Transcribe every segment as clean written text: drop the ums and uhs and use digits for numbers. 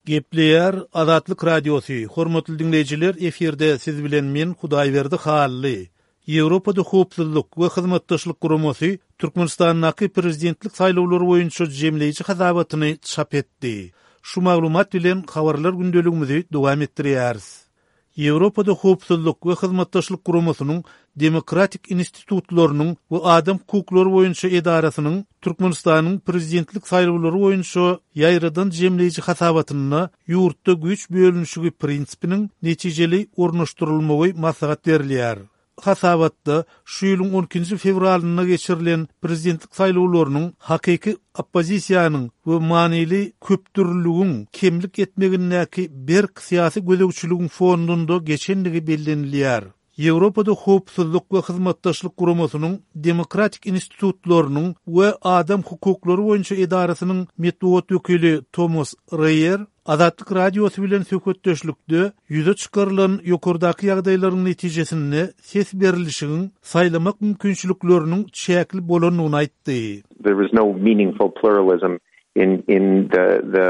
Gepleýär Azatlyk Radiosy, Hormatly diňleýjiler, efirde siz bilen men Hudaýberdi Hally. Ýewropada Howpsuzlyk we Hyzmatdaşlyk Guramasy Türkmenistandaky prezidentlik saýlawlary boýunça jemleýji hasabatyny çap etdi. Şu maglumat bilen habarlar gündeligimizi dowam etdirýäris. Ýewropada Howpsuzlyk we Hyzmatdaşlyk Guramasynyň Demokratik institutlarynyň we adam hukuklary boýunça edarasynyň Türkmenistanyň prezidentlik saýlawlary boýunça ýaýradan jemleýji hasabatynda ýurtda güýç bölünişigi prinsipiniň netijeli ornaşdyrylmagy maslahat berilýär. Hasabatda şu ýylyň on ikinji fewralynda geçirilen prezidentlik saýlawlarynyň hakyky oppozisiýanyň we manyly köpdürlüligiň kemlik etmegindäki berk syýasy gözegçiligiň fonunda geçendigi bellenilýär. Ýewropada Howpsuzlyk we Hyzmatdaşlyk Guramasynyň Demokratik institutlarynyň we adam hukuklary boýunça edarasynyň metbugat wekili Tomas Reýer Azatlyk Radiosy bilen söhbetdeşlikde ýüze çykarylan ýokardaky ýagdaýlaryň netijesinde ses berlişigiň saýlamak mümkinçilikleriniň çäkli bolandygyny aýtdy. There was no meaningful pluralism in in the the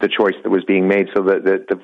the choice that was being made so the the the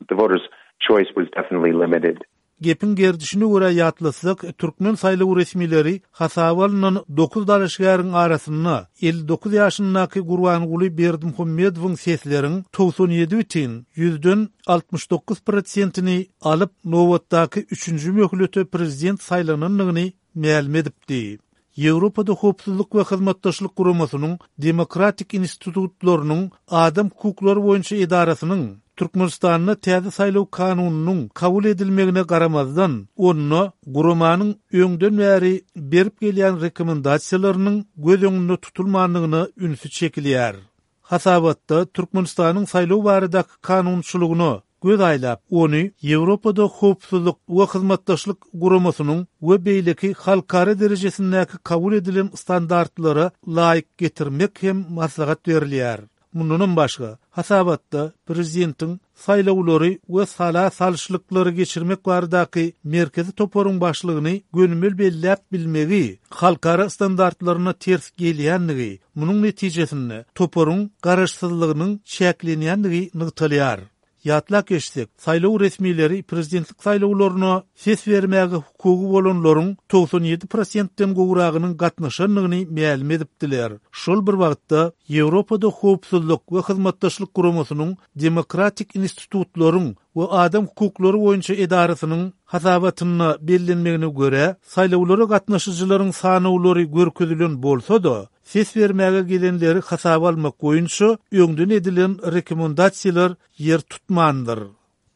the voters choice was definitely limited. Gepiň gerdişine görä ýatlatsak, türkmen saýlaw resmileri hasaba alnan dokuz dalaşgäriň arasynda 59 ýaşyndaky Gurbanguly Berdimuhamedowyň sesleriň 97 bütin ýüzden 69 prosentini alyp, nobatdaky üçünji möhlete prezident saýlanandygyny mälim edipdi. Ýewropada Howpsuzlyk we Hyzmatdaşlyk Guramasynyň Demokratik institutlarynyň adam hukuklary boýunça edarasynyň Türkmenistanda täze saýlaw kanunynyň kabul edilmegine garamazdan, onda guramanyň öňden bäri berip gelýän rekomendasiýalarynyň göz öňünde tutulmandygyna ünsi çekilýär. Hasabatda Türkmenistanyň saýlaw baradaky kanunçylygyna göz aýlap, ony Ýewropada Howpsuzlyk we Hyzmatdaşlyk Guramasynyň we beýleki halkara derejesindäki kabul edilen standartlara laýyk getirmek hem maslahat berilýär. Mundanam başga, hasabatda prezidentiň saýlawlary we sala salyşlyklary geçirmek baradaky merkezi toparyň başlygyny gönümel belläp bilmegi halkara standartlaryna ters gelýändigi, munuň netijesinde toparyň garaşsyzlygynyň çäklenýändigi nygtalýar. Ýatlap geçsek, saýlaw resmileri prezidentlik saýlawlaryna ses bermäge hukugy bolanlaryň 97 prosentden gowragynyň gatnaşandygyny mälim edipdiler. Şol bir wagtda, Ýewropada Howpsuzlyk we Hyzmatdaşlyk Guramasynyň Demokratik institutlaryň we adam hukuklary boýunça edarasynyň hasabatynda bellenmegine görä, saýlawlara gatnaşyjylaryň sanawlary görkezilen bolsa-da, ses bermäge gelenleri hasaba almak boýunça öňden edilen rekomendasiýalar ýer tutmandyr.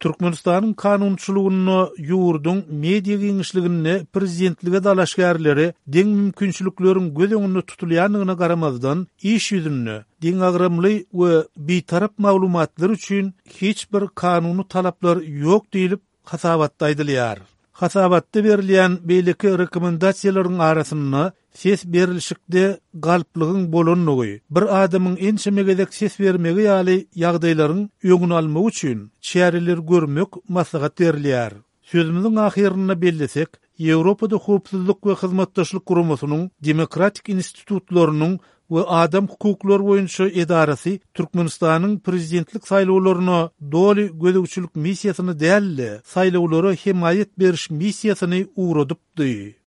Türkmenistanyň kanunçylygynda ýurduň media giňişliginde prezidentlige dalaşgärlere deň mümkinçilikleriň göz öňünde tutulýandygyna garamazdan, iş ýüzünde deňagramly we bitarap maglumatlar üçin hiç bir kanuny talaplar ýok diýlip, hasabatda aýdylýar. Hasabatda berilýän beýleki rekomendasiýalaryň arasynda ses berlişikde galplygyň bolandygy, bir adamyň ençeme gezek ses bermegi ýaly ýagdaýlaryň öňüni almak üçin çäreler görmek maslahat berilýär. Sözümiziň ahyrynda bellesek, Ýewropada Howpsuzlyk we Hyzmatdaşlyk Guramasynyň Demokratik institutlarynyň we adam hukuklary boýunça edarasy Türkmenistanyň prezidentlik saýlawlaryna doly gözegçilik missiýasyny däl-de, saýlawlara hemaýat beriş missiýasyny ugradypdy.